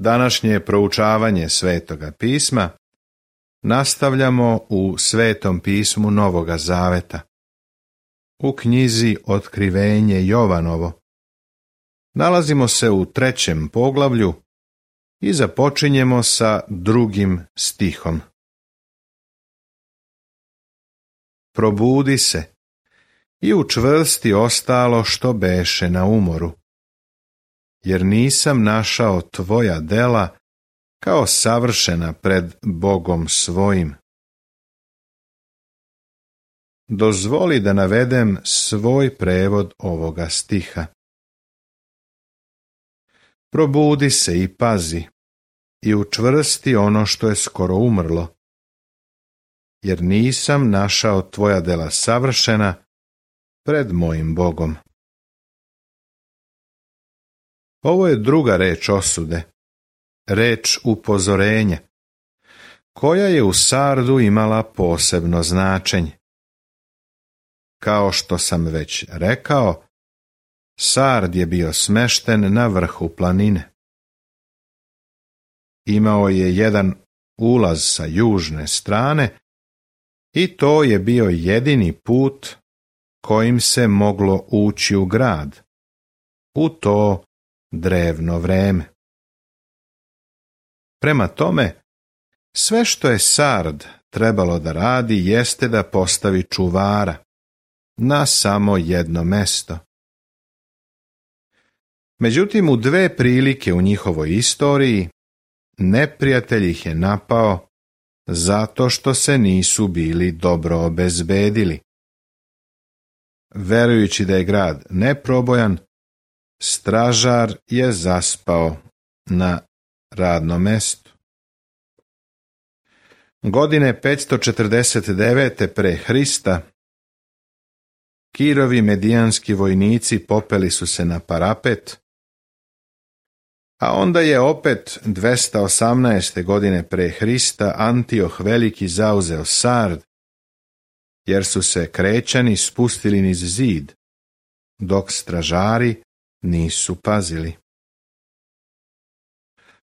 Današnje proučavanje Svetoga pisma nastavljamo u Svetom pismu Novoga Zaveta. U knjizi Otkrivenje Jovanovo nalazimo se u 3. poglavlju i započinjemo sa 2. stihom. Probudi se i učvrsti ostalo što beše na umoru, jer nisam našao tvoja dela kao savršena pred Bogom svojim. Dozvoli da navedem svoj prevod ovoga stiha. Probudi se i pazi i učvrsti ono što je skoro umrlo, jer nisam našao tvoja dela savršena pred mojim Bogom. Ovo je druga reč osude, reč upozorenja, koja je u Sardu imala posebno značenje. Kao što sam već rekao, Sard je bio smešten na vrhu planine. Imao je jedan ulaz sa južne strane i to je bio jedini put kojim se moglo ući u grad, u to drevno vreme. Prema tome, sve što je Sard trebalo da radi jeste da postavi čuvara na samo jedno mesto. Međutim, u 2 prilike u njihovoj istoriji neprijatelj ih je napao zato što se nisu bili dobro obezbedili. Verujući da je grad neprobojan, stražar je zaspao na radnom mestu. Godine 549. pre Hrista Kirovi medijanski vojnici popeli su se na parapet, a onda je opet 218. godine pre Hrista Antioh Veliki zauzeo Sard, jer su se Krećani spustili niz zid, dok stražari nisu pazili.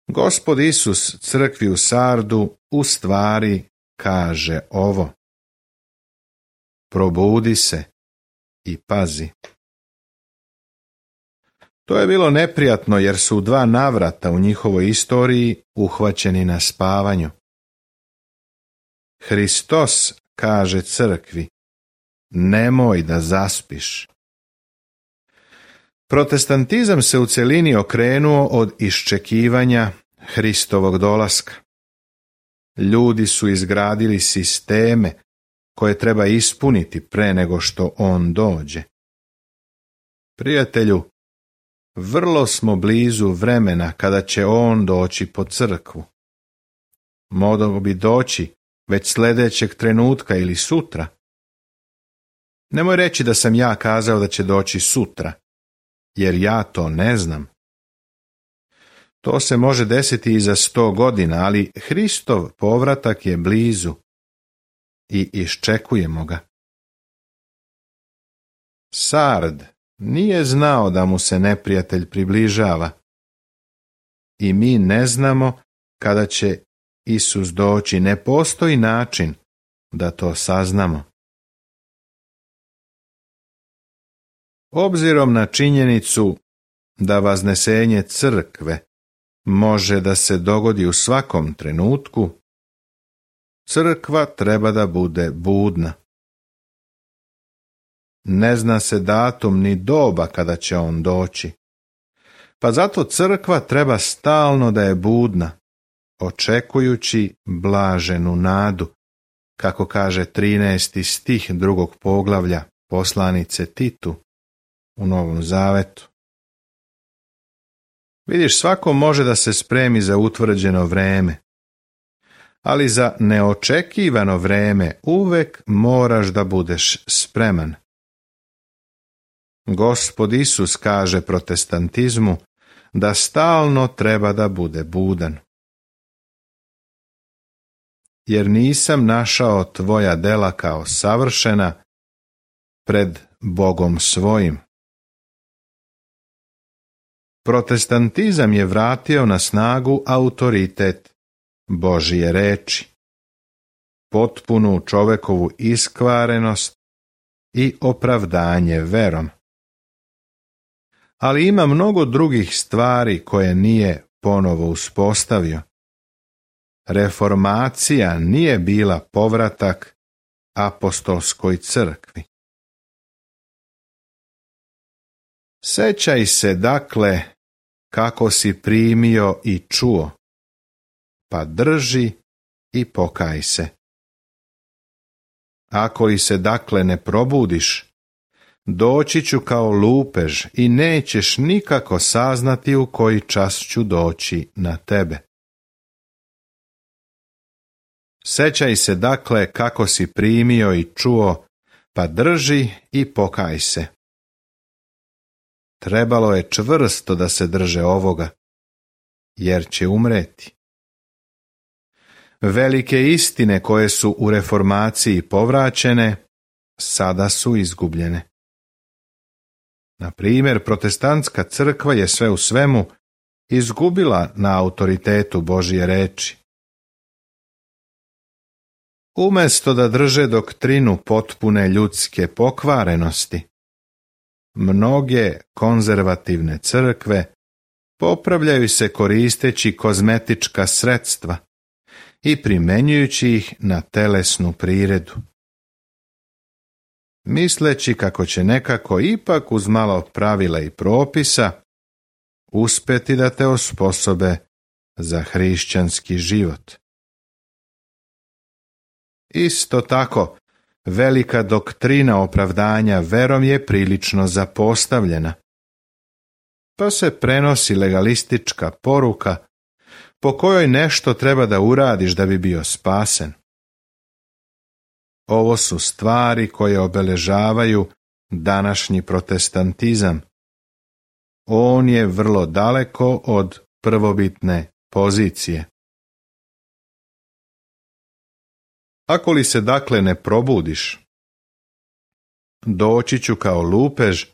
Gospod Isus crkvi u Sardu u stvari kaže ovo: probudi se i pazi. To je bilo neprijatno jer su u 2 navrata u njihovoj istoriji uhvaćeni na spavanju. Hristos kaže crkvi: nemoj da zaspiš. Protestantizam se u celini okrenuo od iščekivanja Hristovog dolaska. Ljudi su izgradili sisteme koje treba ispuniti pre nego što on dođe. Prijatelju, vrlo smo blizu vremena kada će on doći po crkvu. Mogao bi doći već sljedećeg trenutka ili sutra. Nemoj reći da sam ja kazao da će doći sutra, jer ja to ne znam. To se može desiti i za 100 godina, ali Hristov povratak je blizu i iščekujemo ga. Sard nije znao da mu se neprijatelj približava i mi ne znamo kada će Isus doći. Ne postoji način da to saznamo. Obzirom na činjenicu da vaznesenje crkve može da se dogodi u svakom trenutku, crkva treba da bude budna. Ne zna se datum ni doba kada će on doći, pa zato crkva treba stalno da je budna, očekujući blaženu nadu, kako kaže 13. stih 2. poglavlja poslanice Titu u Novom Zavetu. Vidiš, svako može da se spremi za utvrđeno vreme, ali za neočekivano vreme uvek moraš da budeš spreman. Gospod Isus kaže protestantizmu da stalno treba da bude budan. Jer nisam našao tvoja dela kao savršena pred Bogom svojim. Protestantizam je vratio na snagu autoritet Božje reči, potpunu čovekovu iskvarenost i opravdanje verom. Ali ima mnogo drugih stvari koje nije ponovo uspostavio. Reformacija nije bila povratak apostolskoj crkvi. Sećaj se dakle kako si primio i čuo, pa drži i pokaj se. Ako li se dakle ne probudiš, doći ću kao lupež i nećeš nikako saznati u koji čas ću doći na tebe. Sećaj se dakle kako si primio i čuo, pa drži i pokaj se. Trebalo je čvrsto da se drže ovoga, jer će umreti. Velike istine koje su u reformaciji povraćene, sada su izgubljene. Na primjer, protestantska crkva je sve u svemu izgubila na autoritetu Božje reči. Umjesto da drže doktrinu potpune ljudske pokvarenosti, mnoge konzervativne crkve popravljaju se koristeći kozmetička sredstva i primjenjujući ih na telesnu priredu, misleći kako će nekako ipak uz malo pravila i propisa uspjeti da te osposobe za hrišćanski život. Isto tako, velika doktrina opravdanja verom je prilično zapostavljena, pa se prenosi legalistička poruka po kojoj nešto treba da uradiš da bi bio spasen. Ovo su stvari koje obeležavaju današnji protestantizam. On je vrlo daleko od prvobitne pozicije. Ako li se dakle ne probudiš, doći ću kao lupež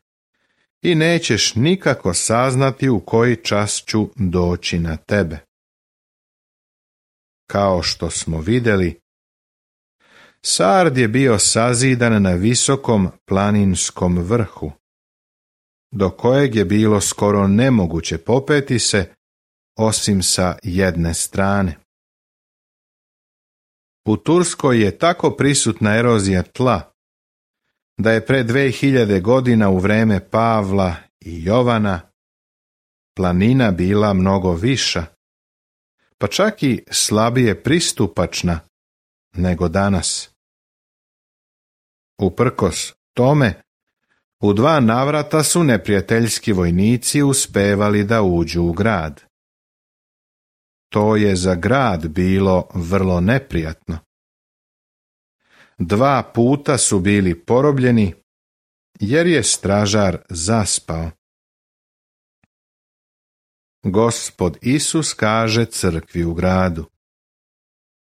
i nećeš nikako saznati u koji čas ću doći na tebe. Kao što smo vidjeli, Sard je bio sazidan na visokom planinskom vrhu, do kojeg je bilo skoro nemoguće popeti se, osim sa jedne strane. U Turskoj je tako prisutna erozija tla, da je pre 2000 godina u vreme Pavla i Jovana planina bila mnogo viša, pa čak i slabije pristupačna nego danas. Uprkos tome, u 2 navrata su neprijateljski vojnici uspevali da uđu u grad. To je za grad bilo vrlo neprijatno. 2 puta su bili porobljeni, jer je stražar zaspao. Gospod Isus kaže crkvi u gradu: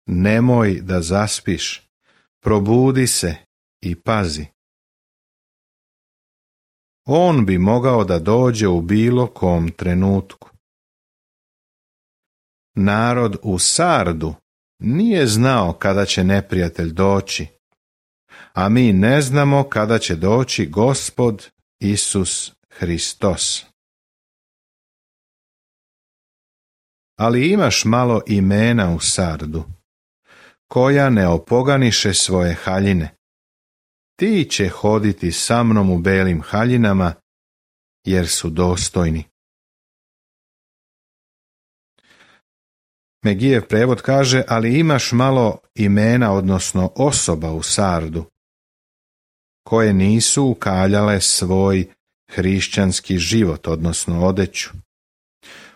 nemoj da zaspiš, probudi se i pazi. On bi mogao da dođe u bilo kom trenutku. Narod u Sardu nije znao kada će neprijatelj doći, a mi ne znamo kada će doći Gospod Isus Hristos. Ali imaš malo imena u Sardu, koja ne opoganiše svoje haljine. Ti će hoditi sa mnom u belim haljinama, jer su dostojni. Megijev prevod kaže, ali imaš malo imena, odnosno osoba u Sardu, koje nisu ukaljale svoj hrišćanski život, odnosno odeću.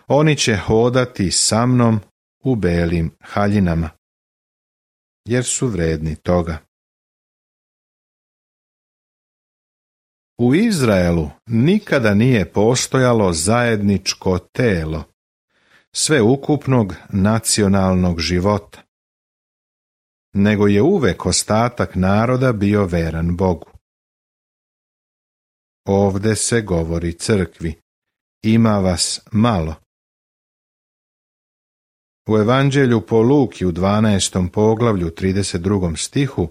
Oni će hodati sa mnom u belim haljinama, jer su vredni toga. U Izraelu nikada nije postojalo zajedničko telo sveukupnog nacionalnog života, nego je uvek ostatak naroda bio veran Bogu. Ovde se govori crkvi ima vas malo. U Evanđelju po Luki u 12. poglavlju 32. stihu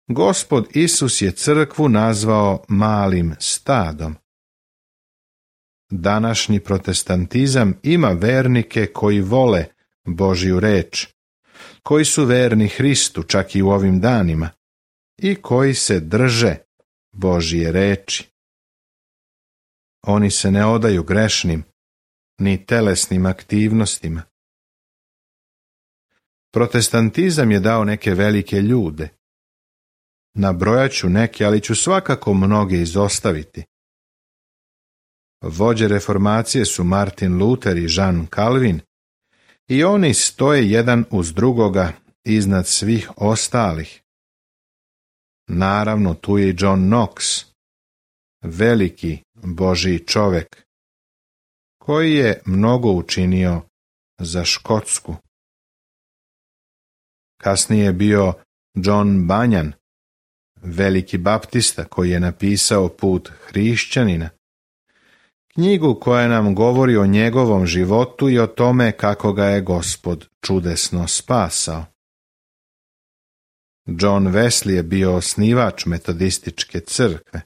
Gospod Isus je crkvu nazvao malim stadom. Današnji protestantizam ima vernike koji vole Božju reč, koji su verni Hristu čak i u ovim danima i koji se drže Božje reči. Oni se ne odaju grešnim ni telesnim aktivnostima. Protestantizam je dao neke velike ljude. Nabrojat ću neke, ali ću svakako mnoge izostaviti. Vođe reformacije su Martin Luther i Jean Calvin i oni stoje jedan uz drugoga iznad svih ostalih. Naravno, tu je i John Knox, veliki Božji čovek, koji je mnogo učinio za Škotsku. Kasnije je bio John Bunyan, veliki baptista koji je napisao Put hrišćanina, knjigu koja nam govori o njegovom životu i o tome kako ga je Gospod čudesno spasao. John Wesley je bio osnivač metodističke crkve.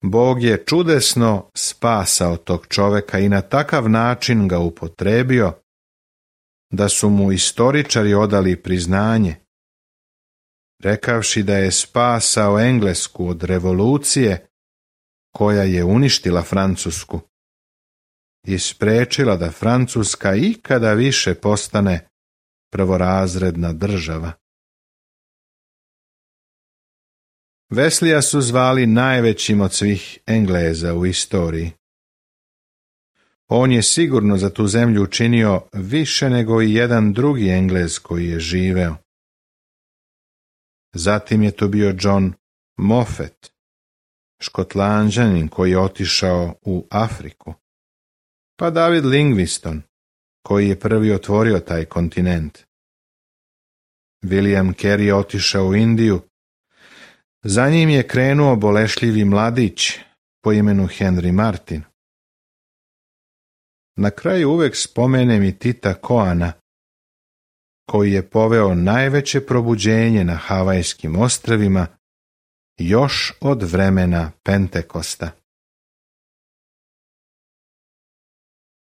Bog je čudesno spasao tog čoveka i na takav način ga upotrebio da su mu istoričari odali priznanje, rekavši da je spasao Englesku od revolucije koja je uništila Francusku i sprečila da Francuska ikada više postane prvorazredna država. Weslija su zvali najvećim od svih Engleza u istoriji. On je sigurno za tu zemlju učinio više nego i jedan drugi Englez koji je živeo. Zatim je to bio John Moffat, Škotlanđanin koji je otišao u Afriku, pa David Livingstone, koji je prvi otvorio taj kontinent. William Carey je otišao u Indiju, za njim je krenuo bolešljivi mladić po imenu Henry Martin. Na kraju uvek spomenem i Tita Koana, koji je poveo najveće probuđenje na Havajskim ostrvima još od vremena Pentekosta.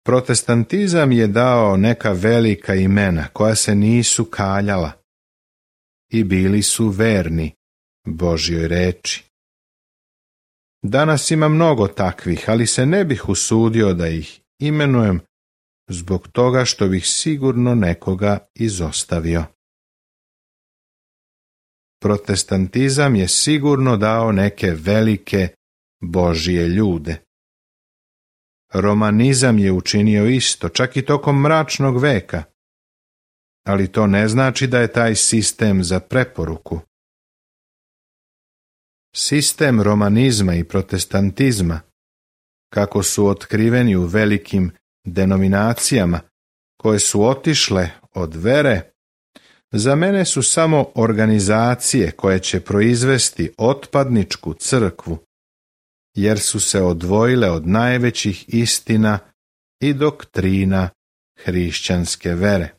Protestantizam je dao neka velika imena koja se nisu kaljala i bili su verni Božjoj reči. Danas ima mnogo takvih, ali se ne bih usudio da ih imenujem zbog toga što bih sigurno nekoga izostavio. Protestantizam je sigurno dao neke velike Božje ljude. Romanizam je učinio isto, čak i tokom mračnog veka, ali to ne znači da je taj sistem za preporuku. Sistem romanizma i protestantizma, kako su otkriveni u velikim denominacijama koje su otišle od vere, za mene su samo organizacije koje će proizvesti otpadničku crkvu, jer su se odvojile od najvećih istina i doktrina hrišćanske vere.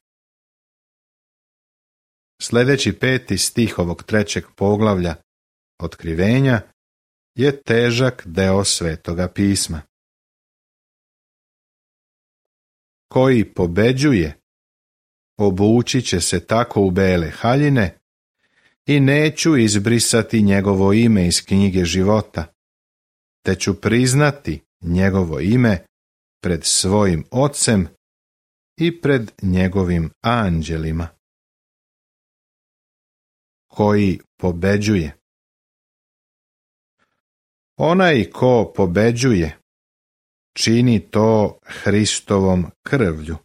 Sljedeći 5. stih ovog 3. poglavlja Otkrivenja je težak deo Svetoga pisma. Koji pobeđuje, obući će se tako u bele haljine i neću izbrisati njegovo ime iz knjige života, te ću priznati njegovo ime pred svojim Ocem i pred njegovim anđelima. Koji pobeđuje. Onaj ko pobeđuje, čini to Hristovom krvlju,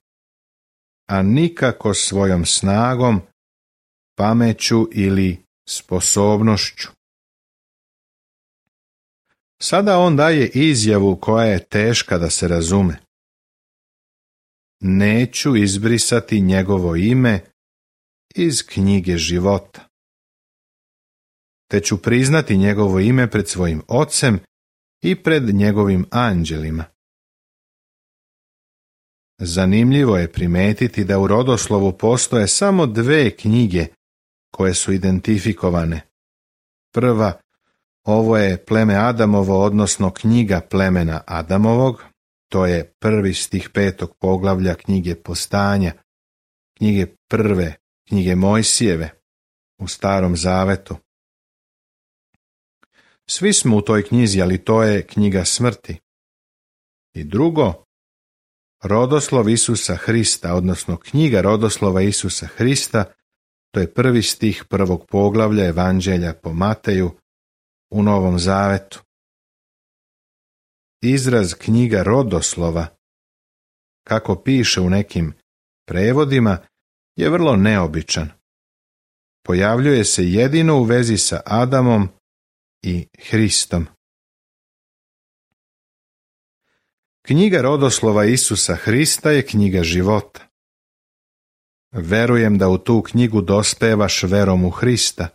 a nikako svojom snagom, pameću ili sposobnošću. Sada on daje izjavu koja je teška da se razume. Neću izbrisati njegovo ime iz knjige života, te ću priznati njegovo ime pred svojim Ocem i pred njegovim anđelima. Zanimljivo je primetiti da u rodoslovu postoje samo 2 knjige koje su identifikovane. Prva, ovo je pleme Adamovo, odnosno knjiga plemena Adamovog, to je 1. stih 5. poglavlja knjige Postanja, knjige prve, knjige Mojsijeve u Starom Zavetu. Svi smo u toj knjizi, ali to je knjiga smrti. I drugo, rodoslov Isusa Hrista, odnosno knjiga rodoslova Isusa Hrista, to je 1. stih 1. poglavlja Evanđelja po Mateju u Novom Zavetu. Izraz knjiga rodoslova, kako piše u nekim prevodima, je vrlo neobičan. Pojavljuje se jedino u vezi sa Adamom i Hristom. Knjiga rodoslova Isusa Hrista je knjiga života. Verujem da u tu knjigu dospevaš verom u Hrista.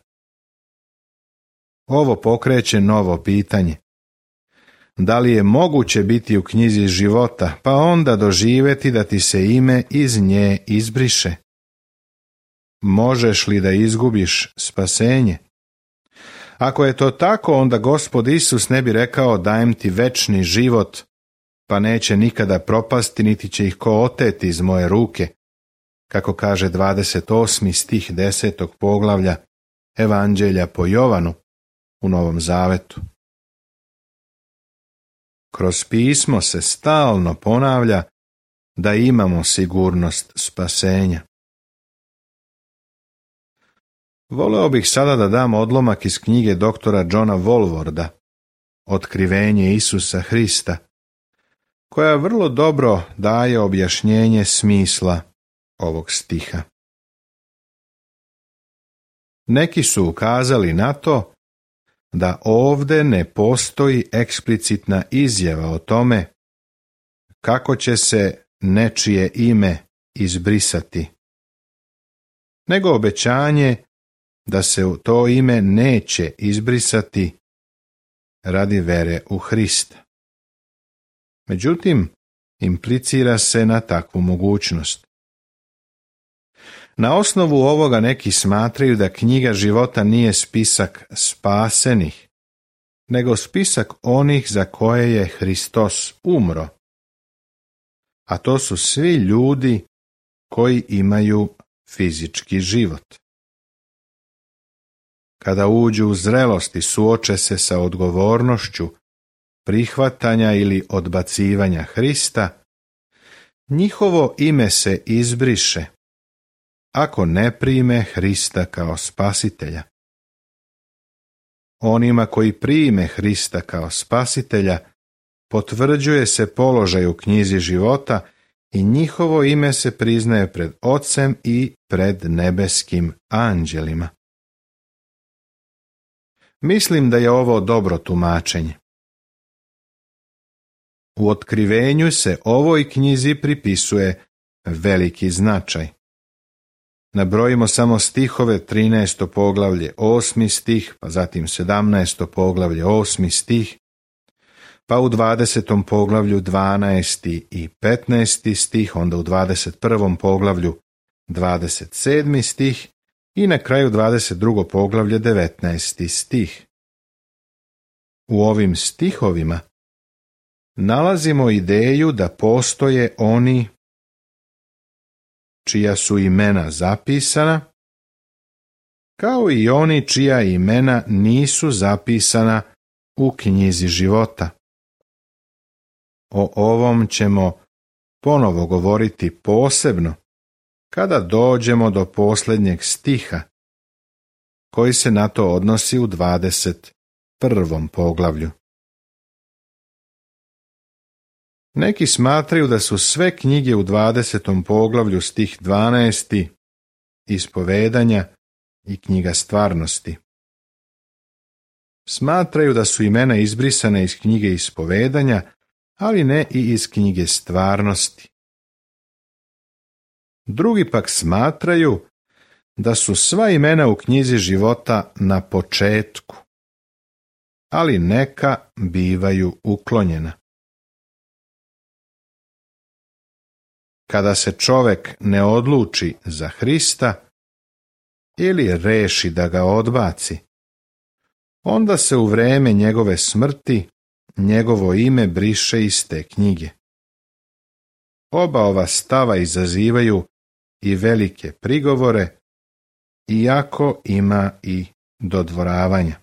Ovo pokreće novo pitanje. Da li je moguće biti u knjizi života, pa onda doživjeti da ti se ime iz nje izbriše? Možeš li da izgubiš spasenje? Ako je to tako, onda Gospod Isus ne bi rekao dajem ti večni život, pa neće nikada propasti, niti će ih ko oteti iz moje ruke, kako kaže 28. stih 10. poglavlja Evanđelja po Jovanu u Novom Zavetu. Kroz pismo se stalno ponavlja da imamo sigurnost spasenja. Voleo bih sada da dam odlomak iz knjige doktora Johna Walvorda, Otkrivenje Isusa Hrista, koja vrlo dobro daje objašnjenje smisla ovog stiha. Neki su ukazali na to da ovdje ne postoji eksplicitna izjava o tome kako će se nečije ime izbrisati, nego obećanje da se to ime neće izbrisati radi vere u Hrista. Međutim, implicira se na takvu mogućnost. Na osnovu ovoga neki smatraju da knjiga života nije spisak spasenih, nego spisak onih za koje je Hristos umro. A to su svi ljudi koji imaju fizički život. Kada uđu u zrelost i suoče se sa odgovornošću prihvatanja ili odbacivanja Hrista, njihovo ime se izbriše ako ne prime Hrista kao spasitelja. Onima koji prime Hrista kao spasitelja potvrđuje se položaj u knjizi života i njihovo ime se priznaje pred Ocem i pred nebeskim anđelima. Mislim da je ovo dobro tumačenje. U otkrivenju se ovoj knjizi pripisuje veliki značaj. Nabrojimo samo stihove 13. poglavlje 8. stih, pa zatim 17. poglavlje 8. stih, pa u 20. poglavlju 12. i 15. stih, onda u 21. poglavlju 27. stih i na kraju 22. poglavlje 19. stih. U ovim stihovima nalazimo ideju da postoje oni čija su imena zapisana, kao i oni čija imena nisu zapisana u knjizi života. O ovom ćemo ponovo govoriti posebno kada dođemo do posljednjeg stiha, koji se na to odnosi u 21. poglavlju. Neki smatraju da su sve knjige u 20. poglavlju stih 12. ispovedanja i knjiga stvarnosti. Smatraju da su imena izbrisane iz knjige ispovedanja, ali ne i iz knjige stvarnosti. Drugi pak smatraju da su sva imena u knjizi života na početku. ali neka bivaju uklonjena. Kada se čovjek ne odluči za Hrista ili reši da ga odbaci, onda se u vrijeme njegove smrti njegovo ime briše iz te knjige. Oba ova stava izazivaju i velike prigovore, iako ima i dodvoravanja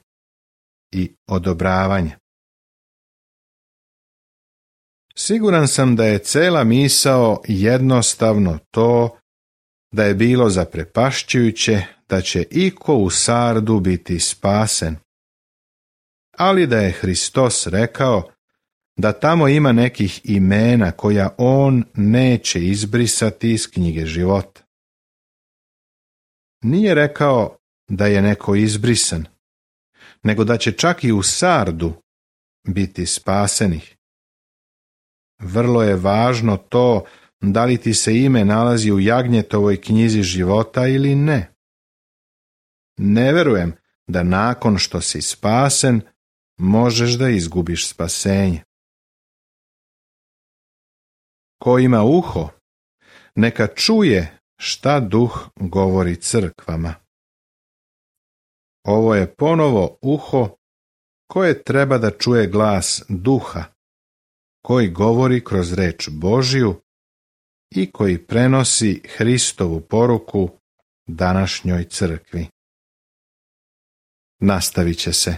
i odobravanja. Siguran sam da je cela misao jednostavno to da je bilo zaprepašćujuće da će iko u Sardu biti spasen, ali da je Hristos rekao da tamo ima nekih imena koja on neće izbrisati iz knjige života. Nije rekao da je neko izbrisan, nego da će čak i u Sardu biti spasenih. Vrlo je važno to da li ti se ime nalazi u Jagnjetovoj knjizi života ili ne. Ne verujem da nakon što si spasen možeš da izgubiš spasenje. Ko ima uho, neka čuje šta Duh govori crkvama. Ovo je ponovo uho koje treba da čuje glas Duha, koji govori kroz reč Božju i koji prenosi Hristovu poruku današnjoj crkvi. Nastavit će se